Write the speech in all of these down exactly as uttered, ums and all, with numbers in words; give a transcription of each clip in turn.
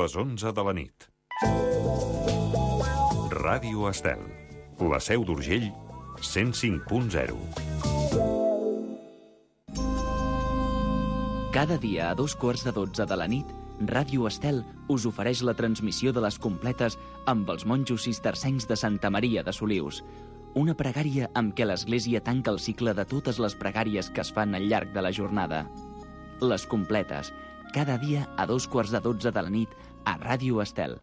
les onze de la nit. Ràdio Estel, la Seu d'Urgell, cent cinc punt zero. Cada dia a dos quarts de dotze de la nit, Ràdio Estel us ofereix la transmissió de les completes amb els monjos cistercencs de Santa Maria de Solius. Una pregària amb què l'Església tanca el cicle de totes les pregàries que es fan al llarg de la jornada. Les completes, cada dia a dos quarts de dotze de la nit a Ràdio Estel.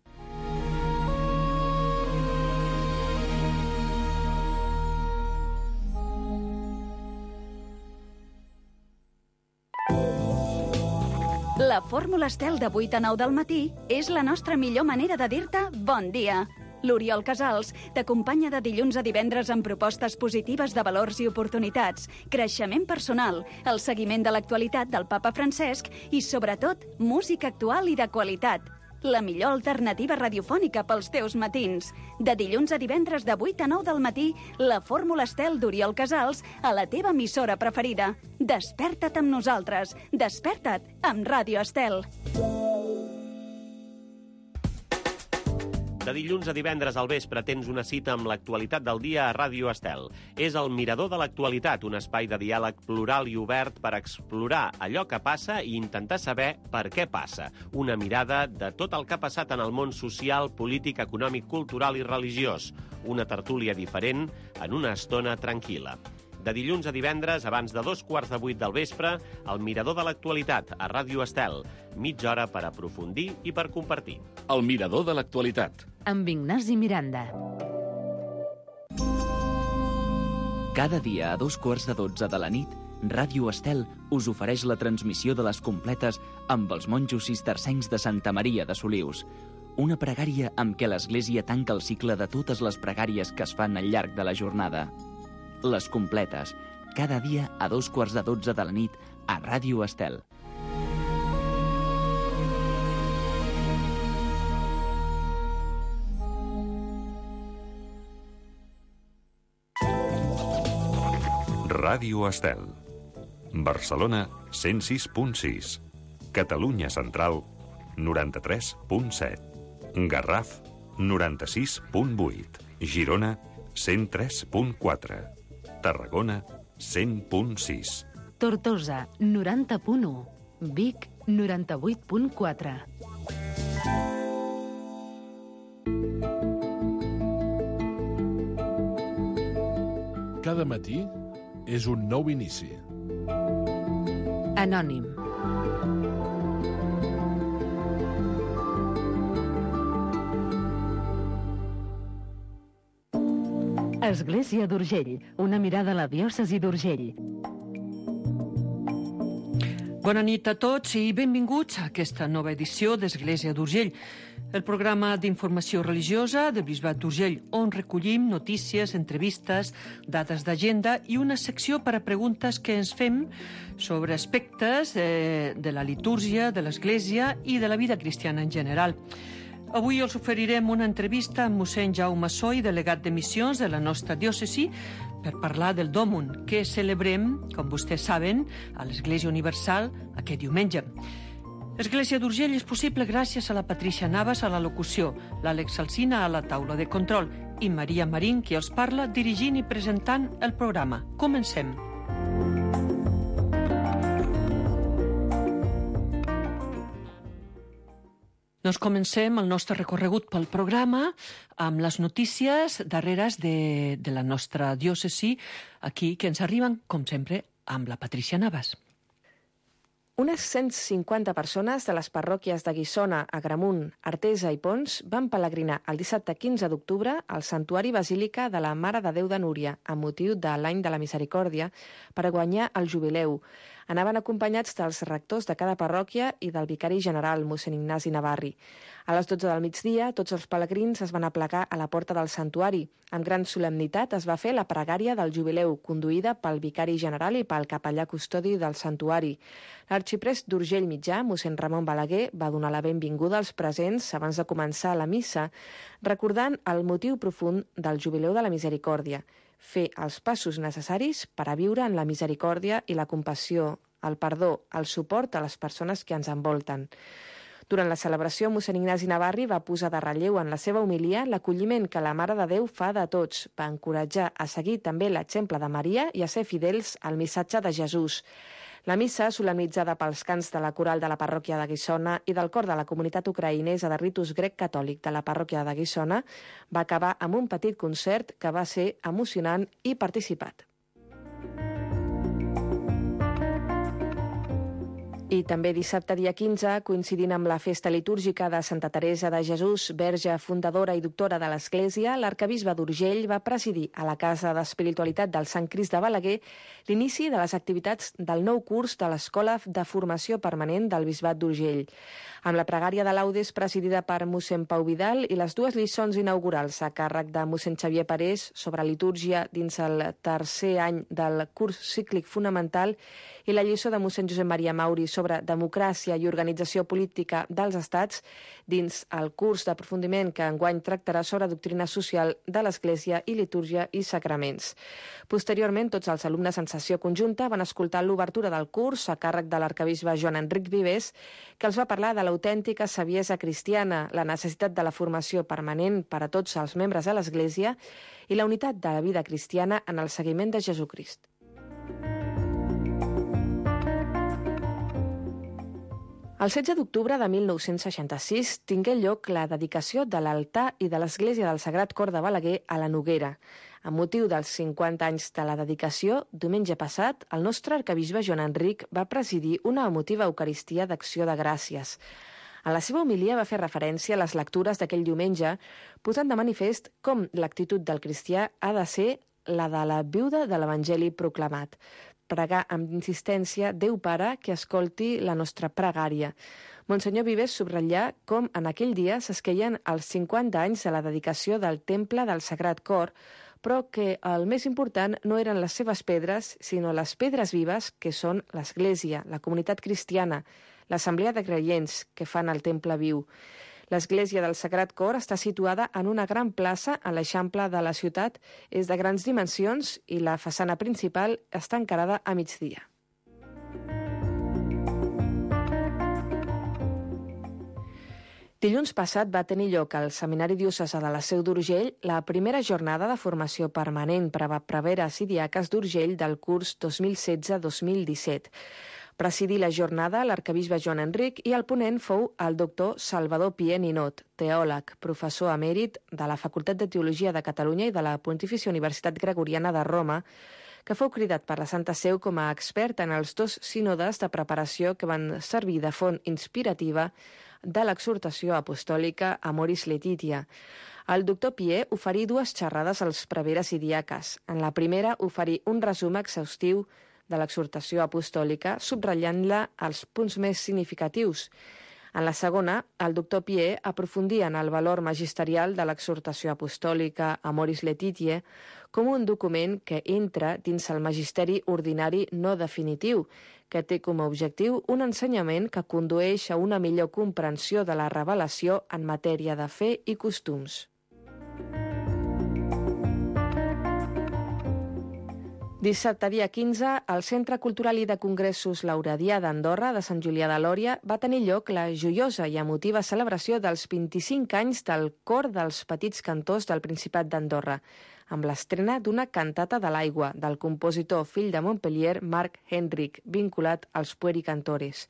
La fórmula Estel de vuit a nou del matí és la nostra millor manera de dir-te bon dia. L'Oriol Casals t'acompanya de dilluns a divendres amb propostes positives de valors i oportunitats, creixement personal, el seguiment de l'actualitat del papa Francesc i, sobretot, música actual i de qualitat. La millor alternativa radiofònica pels teus matins. De dilluns a divendres de vuit a nou del matí, la fórmula Estel d'Oriol Casals a la teva emissora preferida. Desperta't amb nosaltres. Desperta't amb Ràdio Estel. De dilluns a divendres al vespre tens una cita amb l'actualitat del dia a Ràdio Estel. És el Mirador de l'Actualitat, un espai de diàleg plural i obert per explorar allò que passa i intentar saber per què passa. Una mirada de tot el que ha passat en el món social, polític, econòmic, cultural i religiós. Una tertúlia diferent en una estona tranquil·la. De dilluns a divendres, abans de dos quarts de vuit del vespre, el Mirador de l'Actualitat, a Ràdio Estel. Mitja hora per aprofundir i per compartir. El Mirador de l'Actualitat. Amb Ignasi Miranda. Cada dia a dos quarts de dotze de la nit, Ràdio Estel us ofereix la transmissió de les completes amb els monjos cistercencs de Santa Maria de Solius. Una pregària amb què l'Església tanca el cicle de totes les pregàries que es fan al llarg de la jornada. Les completes, cada dia a dos quarts de dotze de la nit a Ràdio Estel. Ràdio Estel. Barcelona, cent sis punt sis. Catalunya Central, noranta-tres punt set. Garraf, noranta-sis punt vuit. Girona, cent tres punt quatre. Tarragona, cent punt sis. Tortosa, noranta punt u. Vic, noranta-vuit punt quatre. Cada matí és un nou inici. Anònim. Església d'Urgell, una mirada a la diòcesi d'Urgell. Bona nit a tots i benvinguts a aquesta nova edició d'Església d'Urgell, el programa d'informació religiosa del Bisbat d'Urgell, on recollim notícies, entrevistes, dades d'agenda i una secció per a preguntes que ens fem sobre aspectes de, de la litúrgia, de l'Església i de la vida cristiana en general. Avui us oferirem una entrevista amb mossèn Jaume Soy, delegat de missions de la nostra diòcesi, per parlar del Dòmun, que celebrem, com vostès saben, a l'Església Universal aquest diumenge. Església d'Urgell és possible gràcies a la Patricia Navas a la locució, l'Àlex Alsina a la taula de control i Maria Marín, qui els parla, dirigint i presentant el programa. Comencem. Doncs comencem el nostre recorregut pel programa amb les notícies darreres de, de la nostra diòcesi, aquí, que ens arriben, com sempre, amb la Patricia Navas. Unes cent cinquanta persones de les parròquies de Guissona, Agramunt, Artesa i Pons van pelegrinar el dissabte quinze d'octubre al Santuari Basílica de la Mare de Déu de Núria, amb motiu de l'Any de la Misericòrdia, per guanyar el jubileu. Anaven acompanyats dels rectors de cada parròquia i del vicari general, mossèn Ignasi Navarri. A les dotze del migdia, tots els pelegrins es van aplegar a la porta del santuari. Amb gran solemnitat es va fer la pregària del jubileu, conduïda pel vicari general i pel capellà custodi del santuari. L'arxiprest d'Urgell Mitjà, mossèn Ramon Balaguer, va donar la benvinguda als presents abans de començar la missa, recordant el motiu profund del jubileu de la misericòrdia, fer els passos necessaris per a viure en la misericòrdia i la compassió, el perdó, el suport a les persones que ens envolten. Durant la celebració, mossèn Ignasi Navarri va posar de relleu en la seva homilia l'acolliment que la Mare de Déu fa de tots. Va encoratjar a seguir també l'exemple de Maria i a ser fidels al missatge de Jesús. La missa, solemnitzada pels cants de la coral de la parròquia de Guissona i del cor de la comunitat ucraïnesa de ritus grec catòlic de la parròquia de Guissona, va acabar amb un petit concert que va ser emocionant i participat. I també dissabte, dia quinze, coincidint amb la festa litúrgica de Santa Teresa de Jesús, verge fundadora i doctora de l'Església, l'arquebisbe d'Urgell va presidir a la Casa d'Espiritualitat del Sant Crist de Balaguer l'inici de les activitats del nou curs de l'Escola de Formació Permanent del Bisbat d'Urgell. Amb la pregària de laudes presidida per mossèn Pau Vidal i les dues lliçons inaugurals a càrrec de mossèn Xavier Parés sobre litúrgia dins el tercer any del curs cíclic fonamental i la lliçó de mossèn Josep Maria Mauri sobre democràcia i organització política dels estats dins el curs d'aprofundiment que enguany tractarà sobre doctrina social de l'Església i litúrgia i sacraments. Posteriorment, tots els alumnes en sessió conjunta van escoltar l'obertura del curs a càrrec de l'arquebisbe Joan Enric Vivers, que els va parlar de l'autèntica saviesa cristiana, la necessitat de la formació permanent per a tots els membres de l'Església i la unitat de la vida cristiana en el seguiment de Jesucrist. El setze d'octubre de mil nou-cents seixanta-sis tingué lloc la dedicació de l'altar i de l'Església del Sagrat Cor de Balaguer a la Noguera. Amb motiu dels cinquanta anys de la dedicació, diumenge passat, el nostre arquebisbe Joan Enric va presidir una emotiva Eucaristia d'Acció de Gràcies. En la seva homilia va fer referència a les lectures d'aquell diumenge, posant de manifest com l'actitud del cristià ha de ser la de la viuda de l'Evangeli proclamat. Pregar amb insistència Déu Pare que escolti la nostra pregària. Monsenyor Vives subratllà com en aquell dia s'esqueien els cinquanta anys de la dedicació del Temple del Sagrat Cor, però que el més important no eren les seves pedres, sinó les pedres vives que són l'Església, la comunitat cristiana, l'assemblea de creients que fan el temple viu. L'Església del Sagrat Cor està situada en una gran plaça a l'Eixample de la ciutat, és de grans dimensions i la façana principal està encarada a migdia. Dilluns passat va tenir lloc al Seminari Diocesà de la Seu d'Urgell la primera jornada de formació permanent per a preveres i diaques d'Urgell del curs dos mil setze dos mil disset. Presidí la jornada l'arquebisbe Joan Enric i el ponent fou el doctor Salvador Pié Ninot, teòleg, professor emèrit de la Facultat de Teologia de Catalunya i de la Pontifícia Universitat Gregoriana de Roma, que fou cridat per la Santa Seu com a expert en els dos sínodes de preparació que van servir de font inspirativa de l'exhortació apostòlica Amoris Laetitia. El doctor Pié oferí dues xerrades als preveres i diaques. En la primera oferí un resum exhaustiu de l'exhortació apostòlica, subratllant-la als punts més significatius. En la segona, el doctor Pié aprofundia en el valor magisterial de l'exhortació apostòlica Amoris Laetitia com un document que entra dins el magisteri ordinari no definitiu, que té com a objectiu un ensenyament que condueix a una millor comprensió de la revelació en matèria de fe i costums. Dissabte, dia quinze, al Centre Cultural i de Congressos Lauradià d'Andorra de Sant Julià de Lòria va tenir lloc la joiosa i emotiva celebració dels vint-i-cinc anys del Cor dels Petits Cantors del Principat d'Andorra, amb l'estrena d'una cantata de l'aigua del compositor fill de Montpellier, Marc Henric, vinculat als puericantores.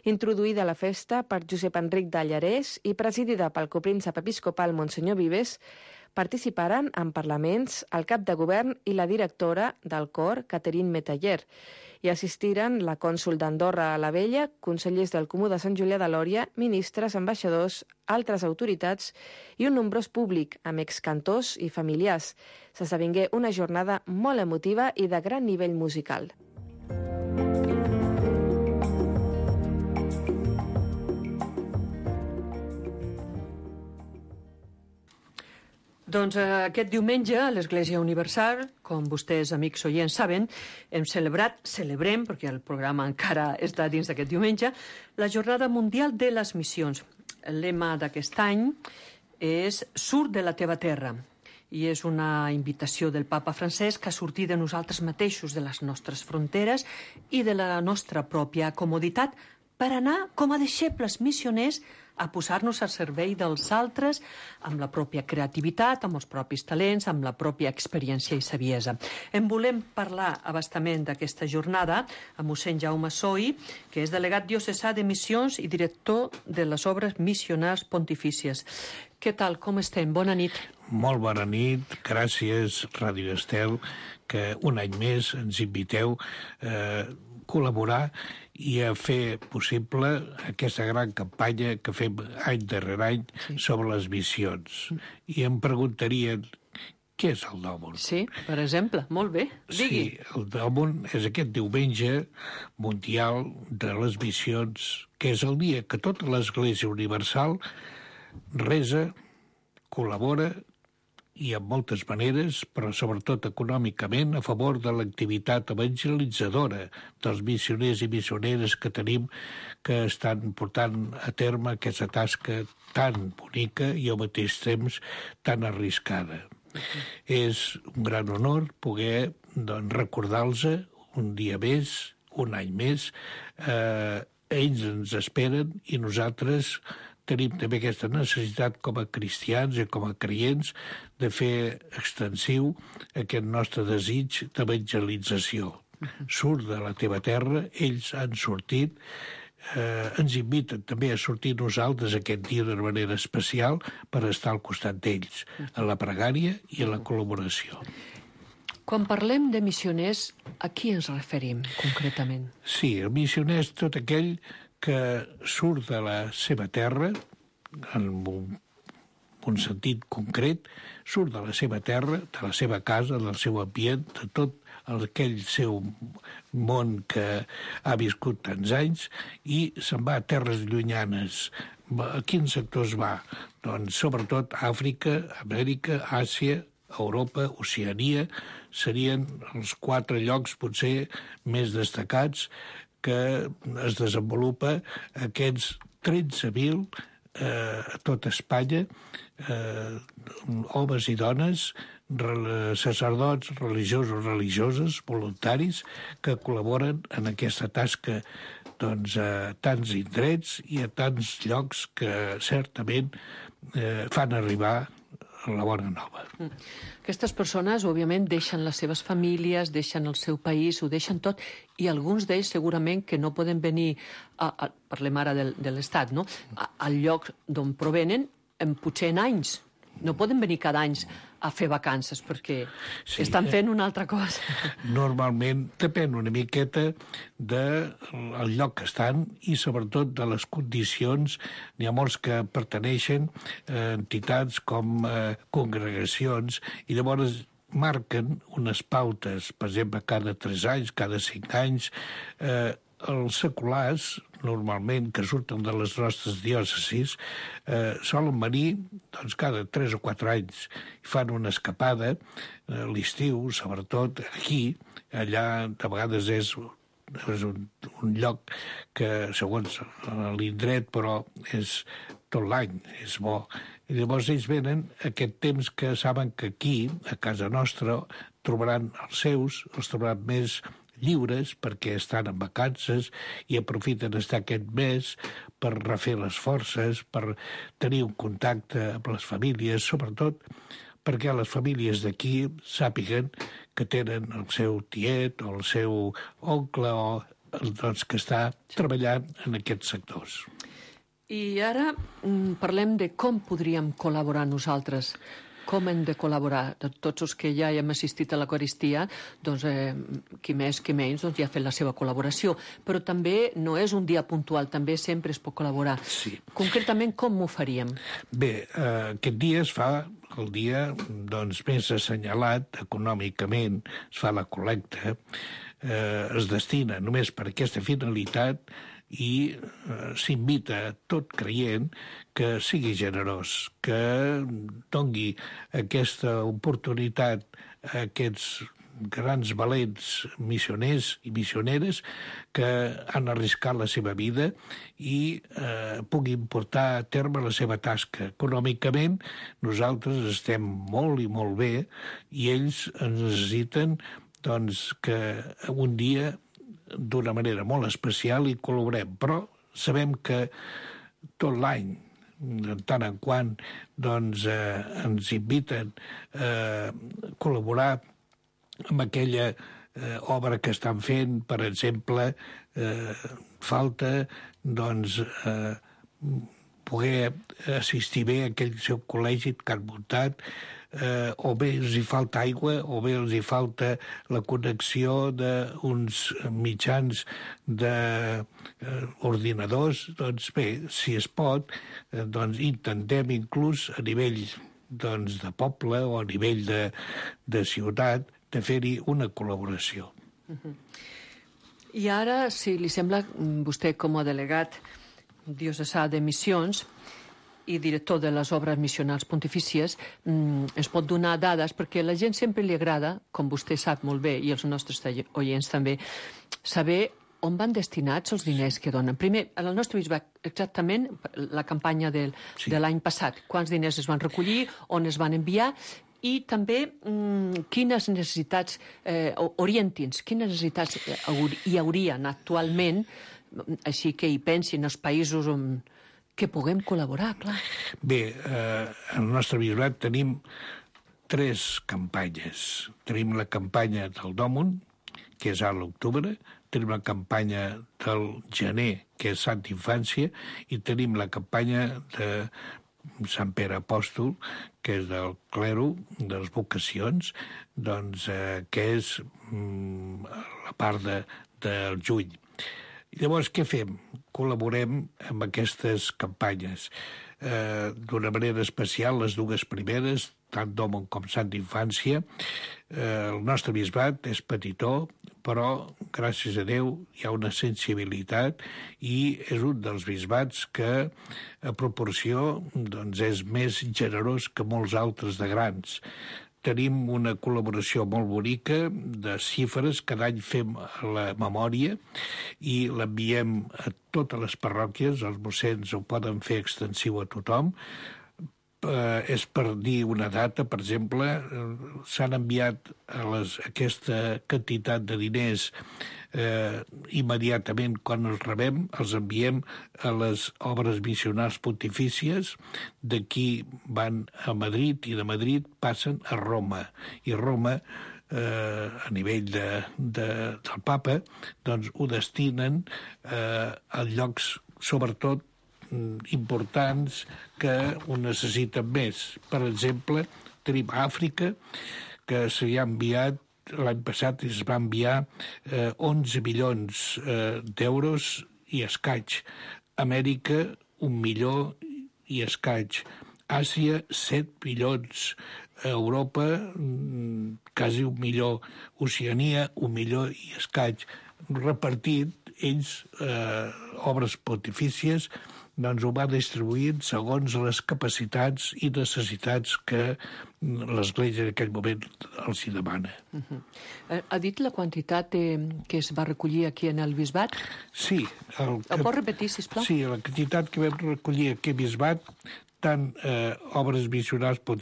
Introduïda a la festa per Josep Enric de Llarès i presidida pel copríncep episcopal Monsenyor Vives, participaren en parlaments el cap de govern i la directora del cor, Catherine Metaller, i assistiren la cònsol d'Andorra a la Vella, consellers del Comú de Sant Julià de Lòria, ministres, ambaixadors, altres autoritats i un nombrós públic, amb excantors i familiars. S'esdevingué una jornada molt emotiva i de gran nivell musical. Doncs aquest diumenge a l'Església Universal, com vostès, amics oients, saben, hem celebrat, celebrem, perquè el programa encara està dins d'aquest diumenge, la Jornada Mundial de les Missions. El lema d'aquest any és «Surt de la teva terra», i és una invitació del papa Francesc a sortir de nosaltres mateixos, de les nostres fronteres i de la nostra pròpia comoditat, per anar com a deixebles missioners a posar-nos al servei dels altres amb la pròpia creativitat, amb els propis talents, amb la pròpia experiència i saviesa. En volem parlar abastament d'aquesta jornada amb mossèn Jaume Soi, que és delegat diocesà de missions i director de les obres missionars pontifícies. Què tal, com estem? Bona nit. Molt bona nit, gràcies Ràdio Estel, que un any més ens inviteu a col·laborar i a fer possible aquesta gran campanya que fem any darrere any sí. sobre les missions. I em preguntarien què és el Dòmon. Sí, per exemple, molt bé, digui. Sí, el Dòmon és aquest diumenge mundial de les missions, que és el dia que tota l'Església Universal resa, col·labora i en moltes maneres, però sobretot econòmicament, a favor de l'activitat evangelitzadora dels missioners i missioneres que tenim que estan portant a terme aquesta tasca tan bonica i al mateix temps tan arriscada. Uh-huh. És un gran honor poder doncs, recordar-los un dia més, un any més. Eh, ells ens esperen i nosaltres tenim també aquesta necessitat com a cristians i com a creients de fer extensiu aquest nostre desig d'evangelització. Surt de la teva terra, ells han sortit, eh, ens inviten també a sortir nosaltres aquest dia d'una manera especial per estar al costat d'ells, en la pregària i en la col·laboració. Quan parlem de missioners, a qui ens referim concretament? Sí, el missioner és tot aquell que surt de la seva terra, en un, un sentit concret, surt de la seva terra, de la seva casa, del seu ambient, de tot aquell seu món que ha viscut tants anys, i se'n va a terres llunyanes. A quins sectors va? Doncs sobretot Àfrica, Amèrica, Àsia, Europa, Oceania, serien els quatre llocs potser més destacats que es desenvolupa aquests tretze mil eh, a tot Espanya, eh, homes i dones, sacerdots, religiosos, religioses, voluntaris, que col·laboren en aquesta tasca doncs, a tants indrets i a tants llocs que certament eh, fan arribar la bona nova. Aquestes persones, òbviament, deixen les seves famílies, deixen el seu país, ho deixen tot, i alguns d'ells segurament que no poden venir, a, a, parlem ara de, de l'Estat, no? A, al lloc d'on provenen, en, potser en anys. No poden venir cada any a fer vacances perquè sí, estan fent una altra cosa. Normalment depèn una miqueta del lloc que estan i sobretot de les condicions. N'hi ha molts que pertaneixen a entitats com a congregacions i llavors marquen unes pautes, per exemple, cada tres anys, cada cinc anys. Eh, els seculars, normalment, que surten de les nostres diòcesis, eh, solen venir doncs, cada tres o quatre anys i fan una escapada, eh, l'estiu, sobretot aquí, allà de vegades és, és un, un lloc que, segons l'indret, però és tot l'any, és bo. I llavors ells venen aquest temps que saben que aquí, a casa nostra, trobaran els seus, els trobaran més lliures perquè estan en vacances i aprofiten estar aquest mes per refer les forces, per tenir un contacte amb les famílies, sobretot perquè les famílies d'aquí sàpiguen que tenen el seu tiet o el seu oncle o doncs, que està treballant en aquests sectors. I ara parlem de com podríem col·laborar nosaltres. Com hem de col·laborar? Tots els que ja hem assistit a l'Eucaristia, doncs, eh, qui més, qui menys, doncs ja ha fet la seva col·laboració. Però també no és un dia puntual, també sempre es pot col·laborar. Sí. Concretament, com ho faríem? Bé, eh, aquest dia es fa el dia doncs, més assenyalat econòmicament, es fa la col·lecta, eh, es destina només per aquesta finalitat i eh, s'invita a tot creient que sigui generós, que doni aquesta oportunitat a aquests grans valents missioners i missioneres que han arriscat la seva vida i eh, puguin portar a terme la seva tasca. Econòmicament nosaltres estem molt i molt bé i ells ens necessiten doncs, que un dia d'una manera molt especial i col·laborem, però sabem que tot l'any, de tant en quant, doncs, eh, ens inviten a col·laborar amb aquella eh, obra que estan fent, per exemple, eh, falta, doncs, eh, poder assistir bé a aquell seu col·legi que han muntat, eh, o bé els hi falta aigua, o bé els hi falta la connexió d'uns mitjans d'ordinadors. Eh, doncs bé, si es pot, eh, doncs intentem inclús a nivell doncs, de poble o a nivell de, de ciutat de fer-hi una col·laboració. Uh-huh. I ara, si li sembla, vostè com a delegat diocesà de missions i director de les obres missionals pontifícies, ens pot donar dades, perquè a la gent sempre li agrada, com vostè sap molt bé, i els nostres oients també, saber on van destinats els diners que donen. Primer, en el nostre bisbat, exactament la campanya del, sí. de l'any passat, quants diners es van recollir, on es van enviar, i també mmm, quines necessitats, eh, orienti'ns, quines necessitats hi haurien actualment, així que hi pensin els països on que puguem col·laborar, clar. Bé, eh, en el nostre bisbat tenim tres campanyes. Tenim la campanya del Dòmun, que és a l'octubre, tenim la campanya del gener, que és Santa Infància, i tenim la campanya de Sant Pere Apòstol, que és del clero, de les vocacions, doncs, eh, que és mm, la part de, del juny. Llavors, què fem? Col·laborem amb aquestes campanyes. Eh, d'una manera especial, les dues primeres, tant Dòmun com Santa Infància. Eh, el nostre bisbat és petitó, però, gràcies a Déu, hi ha una sensibilitat i és un dels bisbats que, a proporció, doncs, és més generós que molts altres de grans. Tenim una col·laboració molt bonica de xifres, cada any fem la memòria i l'enviem a totes les parròquies, els mossens ho poden fer extensiu a tothom. Eh, és per dir una data, per exemple, eh, s'han enviat a les, aquesta quantitat de diners eh, immediatament quan els rebem, els enviem a les obres missionals pontifícies, d'aquí van a Madrid i de Madrid passen a Roma. I Roma, eh, a nivell de, de, del papa, doncs ho destinen eh, a llocs, sobretot, importants que ho necessiten més. Per exemple, tenim Àfrica, que s'hi ha enviat, l'any passat es va enviar eh, onze milions eh, d'euros i escaig. Amèrica, un milió i escaig. Àsia, set milions. Europa, quasi un milió. Oceania, un milió i escaig. Repartit, ells, eh, obres pontifícies, doncs ho va distribuint segons les capacitats i necessitats que l'Església en aquell moment els hi demana. Uh-huh. Ha dit la quantitat de, que es va recollir aquí en el bisbat? Sí. El, Ho pot repetir, sisplau? Sí, la quantitat que vam recollir aquí a bisbat, tant eh, obres missionals per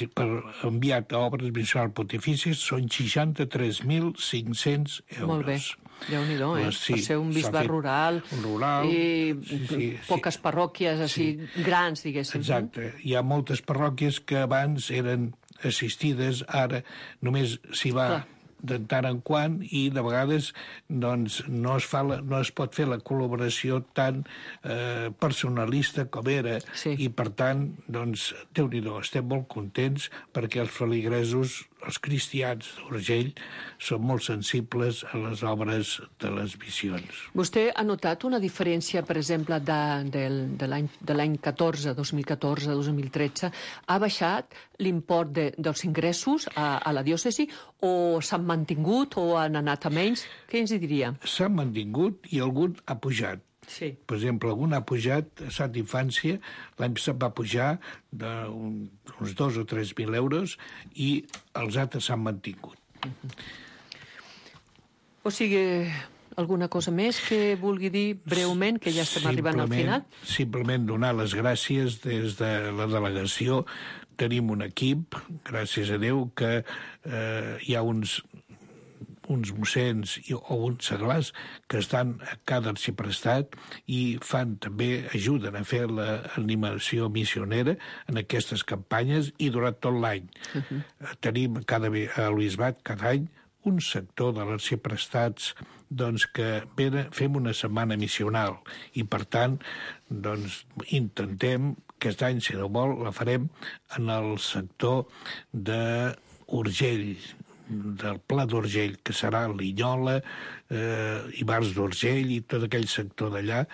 enviat a obres missionals pontifícies són seixanta-tres mil cinc-cents euros. Molt bé. Déu-n'hi-do, eh? Sí, per ser un bisbat rural, rural i sí, sí, poques sí. parròquies així sí. grans, diguéssim. Exacte. Hi ha moltes parròquies que abans eren assistides, ara només s'hi va Clar. de tant en quant i de vegades doncs, no, es fa la, no es pot fer la col·laboració tan eh, personalista com era sí. i per tant, doncs, Déu-n'hi-do, estem molt contents perquè els feligresos, els cristians d'Urgell són molt sensibles a les obres de les missions. Vostè ha notat una diferència, per exemple, de, de, de l'any de l'any catorze, dos mil catorze, dos mil tretze? Ha baixat l'import de, dels ingressos a, a la diòcesi o s'han mantingut o han anat a menys? Què ens hi diria? S'han mantingut i algun ha pujat. Sí. Per exemple, algun ha pujat a Santa Infància, l'any passat va pujar d'uns dos o tres mil euros i els altres s'han mantingut. Uh-huh. O sigui, alguna cosa més que vulgui dir breument, que ja estem arribant al final? Simplement donar les gràcies des de la delegació. Tenim un equip, gràcies a Déu, que eh, hi ha uns uns mossens i, o uns seglars que estan a cada arxiprestat i fan també, ajuden a fer l'animació missionera en aquestes campanyes i durant tot l'any. Uh-huh. Tenim cada, a l'Bisbat cada any un sector de l'arxiprestats doncs, que venen, fem una setmana missional i, per tant, doncs, intentem, aquest any, si no vol, la farem en el sector d'Urgell, del Pla d'Urgell, que serà Linyola, eh, Ivars d'Urgell i tot aquell sector d'allà,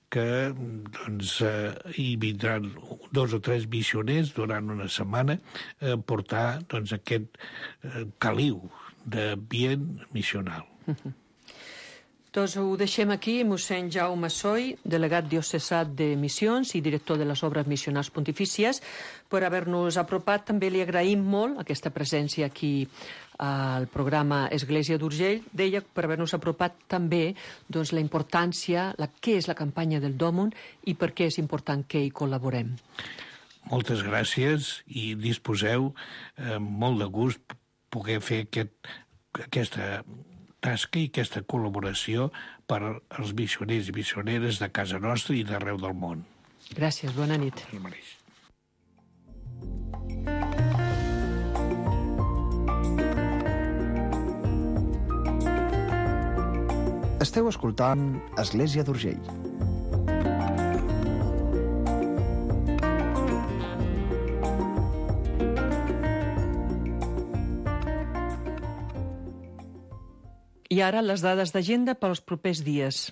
que doncs, eh, hi vindran dos o tres missioners durant una setmana a portar doncs, aquest eh, caliu d'ambient missional. Uh-huh. Doncs ho deixem aquí, mossèn Jaume Soy, delegat diocesà de Missions i director de les obres missionals pontifícies, per haver-nos apropat. També li agraïm molt aquesta presència aquí al programa Església d'Urgell. Deia, per haver-nos apropat també doncs, la importància, la, què és la campanya del Dòmun i per què és important que hi col·laborem. Moltes gràcies i disposeu eh, molt de gust poder fer aquest, aquesta tasca i aquesta col·laboració per als missioners i missioneres de casa nostra i d'arreu del món. Gràcies, bona nit. El mateix. Esteu escoltant Església d'Urgell. I ara les dades d'agenda pels propers dies.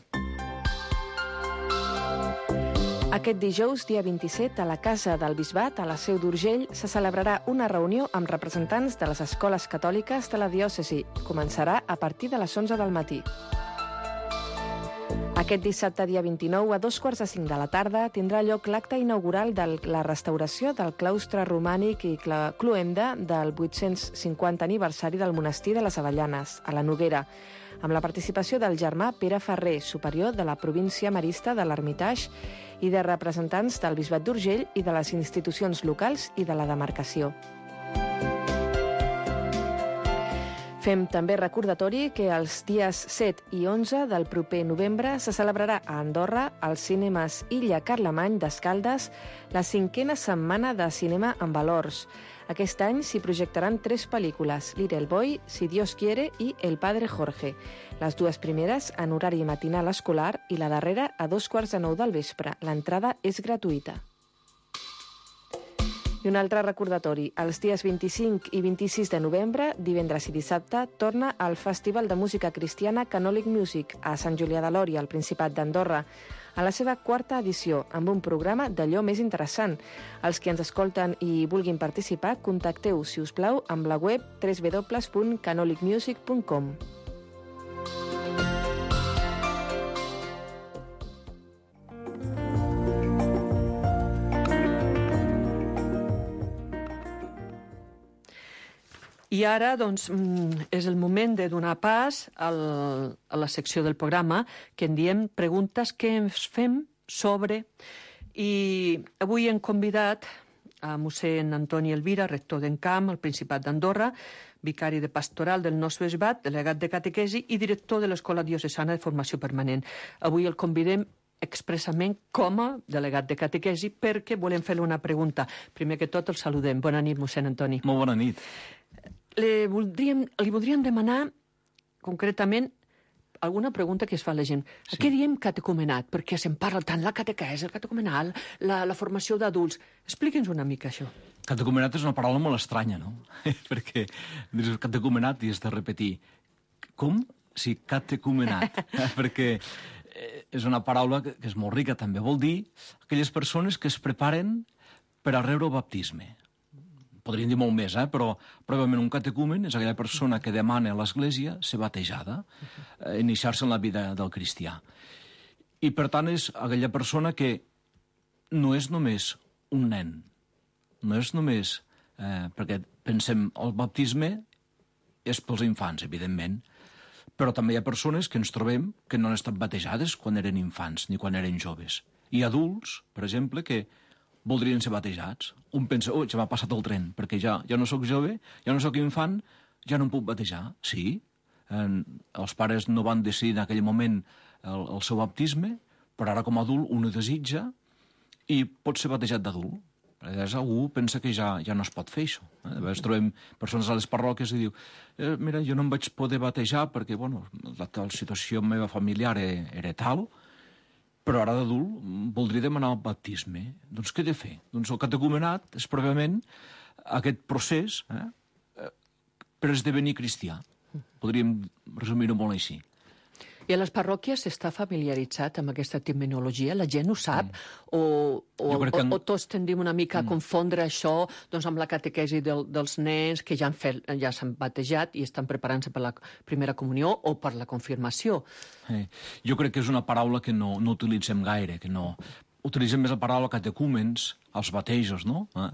Aquest dijous, dia vint-i-set, a la Casa del Bisbat, a la Seu d'Urgell, se celebrarà una reunió amb representants de les escoles catòliques de la diòcesi. Començarà a partir de les onze del matí. Aquest dissabte, dia vint-i-nou, a dos quarts de cinc de la tarda, tindrà lloc l'acte inaugural de la restauració del claustre romànic i cloenda del vuit-cents cinquanta aniversari del monestir de les Avellanes, a la Noguera, amb la participació del germà Pere Ferrer, superior de la província marista de l'Hermitage, i de representants del Bisbat d'Urgell i de les institucions locals i de la demarcació. Fem també recordatori que els dies set i onze del proper novembre se celebrarà a Andorra, als cinemes Illa Carlemany d'Escaldes, la cinquena setmana de cinema en valors. Aquest any s'hi projectaran tres pel·lícules, Little Boy, Si Dios quiere i El Padre Jorge. Les dues primeres en horari matinal escolar i la darrera a dos quarts de nou del vespre. L'entrada és gratuïta. I un altre recordatori, els dies vint-i-cinc i vint-i-sis de novembre, divendres i dissabte, torna al Festival de Música Cristiana Canòlic Music a Sant Julià de Lòria, al Principat d'Andorra, a la seva quarta edició, amb un programa d'allò més interessant. Els que ens escolten i vulguin participar, contacteu, si us plau, amb la web w w w punt canolic music punt com. I ara, doncs, és el moment de donar pas al, a la secció del programa que en diem preguntes que ens fem sobre. I avui hem convidat a mossèn Antoni Elvira, rector d'Encamp, al Principat d'Andorra, vicari de pastoral del nostre bisbat, delegat de catequesi i director de l'Escola Diocesana de Formació Permanent. Avui el convidem expressament com a delegat de catequesi perquè volem fer-li una pregunta. Primer que tot el saludem. Bona nit, mossèn Antoni. Molt bona nit. Li voldríem, li voldríem demanar concretament alguna pregunta que es fa a la gent. Sí. A què diem catecumenat? Perquè se'n parla tant la catequesi, el catecumenal, la, la formació d'adults. Expliqui'ns una mica això. Catecumenat és una paraula molt estranya, no? Perquè dius catecumenat i has de repetir. Com? Sí, catecumenat. Perquè és una paraula que és molt rica, també. Vol dir aquelles persones que es preparen per a rebre el baptisme. Podríem dir molt més, eh? Però probablement un catecumen és aquella persona que demana a l'Església ser batejada, eh, iniciar-se en la vida del cristià. I, per tant, és aquella persona que no és només un nen, no és només... Eh, perquè pensem, el baptisme és pels infants, evidentment, però també hi ha persones que ens trobem que no han estat batejades quan eren infants ni quan eren joves. I adults, per exemple, que voldrien ser batejats. Un pensa, oh, ja m'ha passat el tren, perquè ja, ja no sóc jove, ja no sóc infant, ja no em puc batejar. Sí, els pares no van decidir en aquell moment el, el seu baptisme, però ara com a adult un ho desitja i pot ser batejat d'adult. A vegades algú pensa que ja, ja no es pot fer això. Eh? A vegades trobem persones a les parròquies i diu eh, mira, jo no em vaig poder batejar perquè, bueno, la, la situació meva familiar era, era tal, però ara d'adult voldria demanar el baptisme. Doncs què he de fer? Doncs el catecumenat és pròpiament aquest procés eh, per esdevenir cristià. Podríem resumir-ho molt així. I a les parròquies s'està familiaritzat amb aquesta terminologia? La gent ho sap? Mm. O, o, que... o, o tots tendim una mica a confondre mm. això doncs, amb la catequesi del, dels nens que ja han fet, ja s'han batejat i estan preparant-se per la primera comunió o per la confirmació? Eh, jo crec que és una paraula que no, no utilitzem gaire, que no... Utilitzem més la paraula catecúmens, els batejos, no? Eh?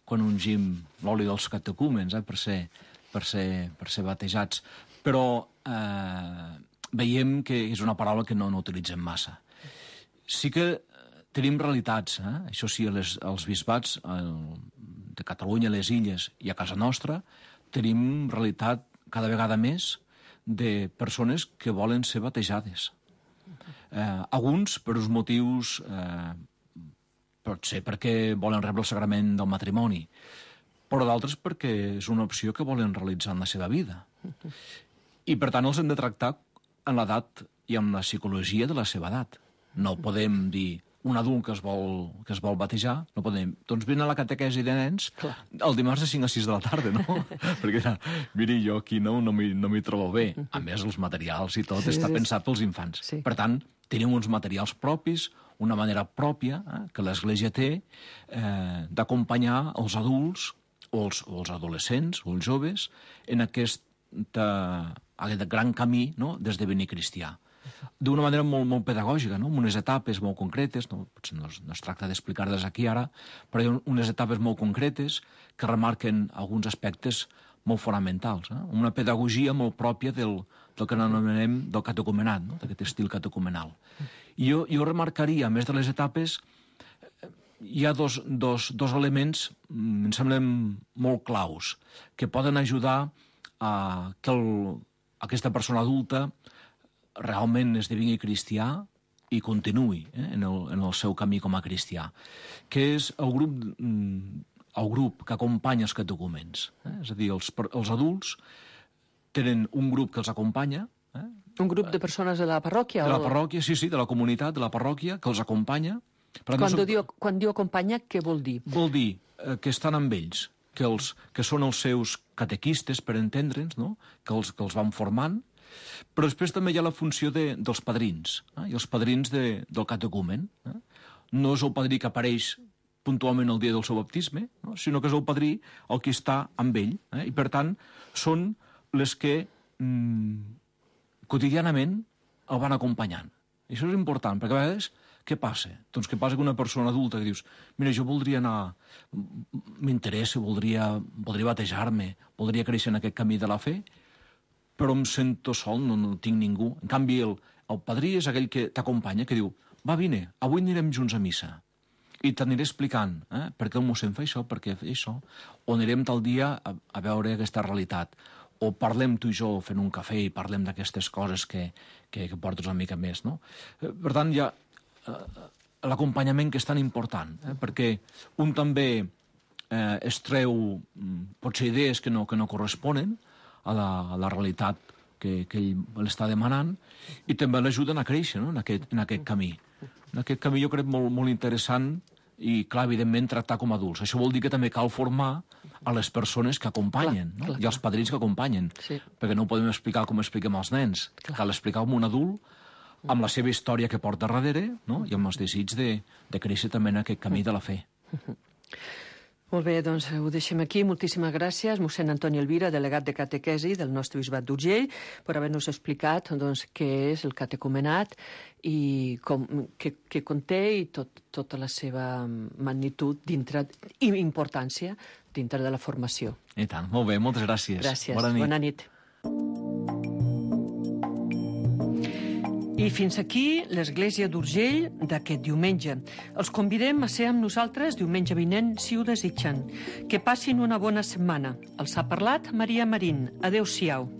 Quan ungim l'oli dels catecúmens, eh? per, ser, per, ser, per ser batejats. Però... Eh... veiem que és una paraula que no, no utilitzem massa. Sí que tenim realitats, eh? Això sí, les, els bisbats el, de Catalunya, les illes i a casa nostra, tenim realitat cada vegada més de persones que volen ser batejades. Eh, alguns, per uns motius, eh, pot ser perquè volen rebre el sagrament del matrimoni, però d'altres perquè és una opció que volen realitzar en la seva vida. I, per tant, els hem de tractar en l'edat i amb la psicologia de la seva edat. No podem dir un adult que es vol, que es vol batejar, no podem... Doncs vine a la catequesi de nens Clar. el dimarts de cinc a sis de la tarda, no? Perquè, miri, jo aquí no, no m'hi no trobo bé. A més, els materials i tot sí, està pensat pels infants. Sí. Per tant, tenim uns materials propis, una manera pròpia eh, que l'Església té eh, d'acompanyar els adults o els, o els adolescents o els joves en aquest aquest gran camí no? d'esdevenir cristià. D'una manera molt, molt pedagògica, no? amb unes etapes molt concretes, no, potser no es, no es tracta d'explicar-les aquí ara, però hi ha unes etapes molt concretes que remarquen alguns aspectes molt fonamentals. Eh? Una pedagogia molt pròpia del, del que anomenem del catecumenat, no? d'aquest estil catecumenal. I jo, jo remarcaria, a més de les etapes, hi ha dos, dos, dos elements, em semblen molt claus, que poden ajudar a que el, aquesta persona adulta realment esdevingui cristià i continuï eh, en, el, en el seu camí com a cristià, que és el grup, el grup que acompanya els catecúmens. Eh? És a dir, els, els adults tenen un grup que els acompanya. Eh? Un grup de persones de la parròquia? De la parròquia, sí, sí, de la comunitat, de la parròquia, que els acompanya. Quan, no, diu, quan diu acompanya, què vol dir? Vol dir eh, que estan amb ells, que, els, que són els seus catequistes, per entendre'ns, no? que, els, que els van formant, però després també hi ha la funció de, dels padrins, eh? i els padrins de, del catecumen. Eh? No és el padrí que apareix puntualment el dia del seu baptisme, no? sinó que és el padrí el que està amb ell, eh? i per tant són les que mm, quotidianament el van acompanyant. I això és important, perquè a vegades què passa? Doncs què passa que una persona adulta que dius mira, jo voldria anar, m'interessa, voldria, voldria batejar-me, voldria créixer en aquest camí de la fe, però em sento sol, no, no tinc ningú. En canvi, el, el padrí és aquell que t'acompanya, que diu, va, vine, avui anirem junts a missa. I t'aniré explicant eh, per què el mossèn fa això, per què fa això, o anirem tal dia a, a veure aquesta realitat. O parlem tu i jo fent un cafè i parlem d'aquestes coses que, que, que portes una mica més, no? Per tant, hi ha l'acompanyament que és tan important, eh? perquè un també eh, es treu potser idees que no, que no corresponen a la, a la realitat que, que ell l'està demanant i també l'ajuden a créixer no? en, aquest, en aquest camí. En aquest camí jo crec molt, molt interessant i, clar, evidentment, tractar com a adults. Això vol dir que també cal formar a les persones que acompanyen, clar, no? clar, i als padrins que acompanyen, sí. perquè no ho podem explicar com expliquem als nens. Clar. Cal explicar com un adult amb la seva història que porta darrere, no? i amb els desig de, de créixer també en aquest camí de la fe. Molt bé, doncs ho deixem aquí. Moltíssimes gràcies, mossèn Antoni Elvira, delegat de catequesi del nostre bisbat d'Urgell, per haver-nos explicat doncs, què és el catecumenat i com, què, què conté i tot, tota la seva magnitud dintre, i importància dintre de la formació. I tant, molt bé, moltes gràcies. Gràcies, bona nit. Bona nit. I fins aquí l'Església d'Urgell d'aquest diumenge. Els convidem a ser amb nosaltres diumenge vinent, si ho desitgen. Que passin una bona setmana. Els ha parlat Maria Marín. Adéu-siau.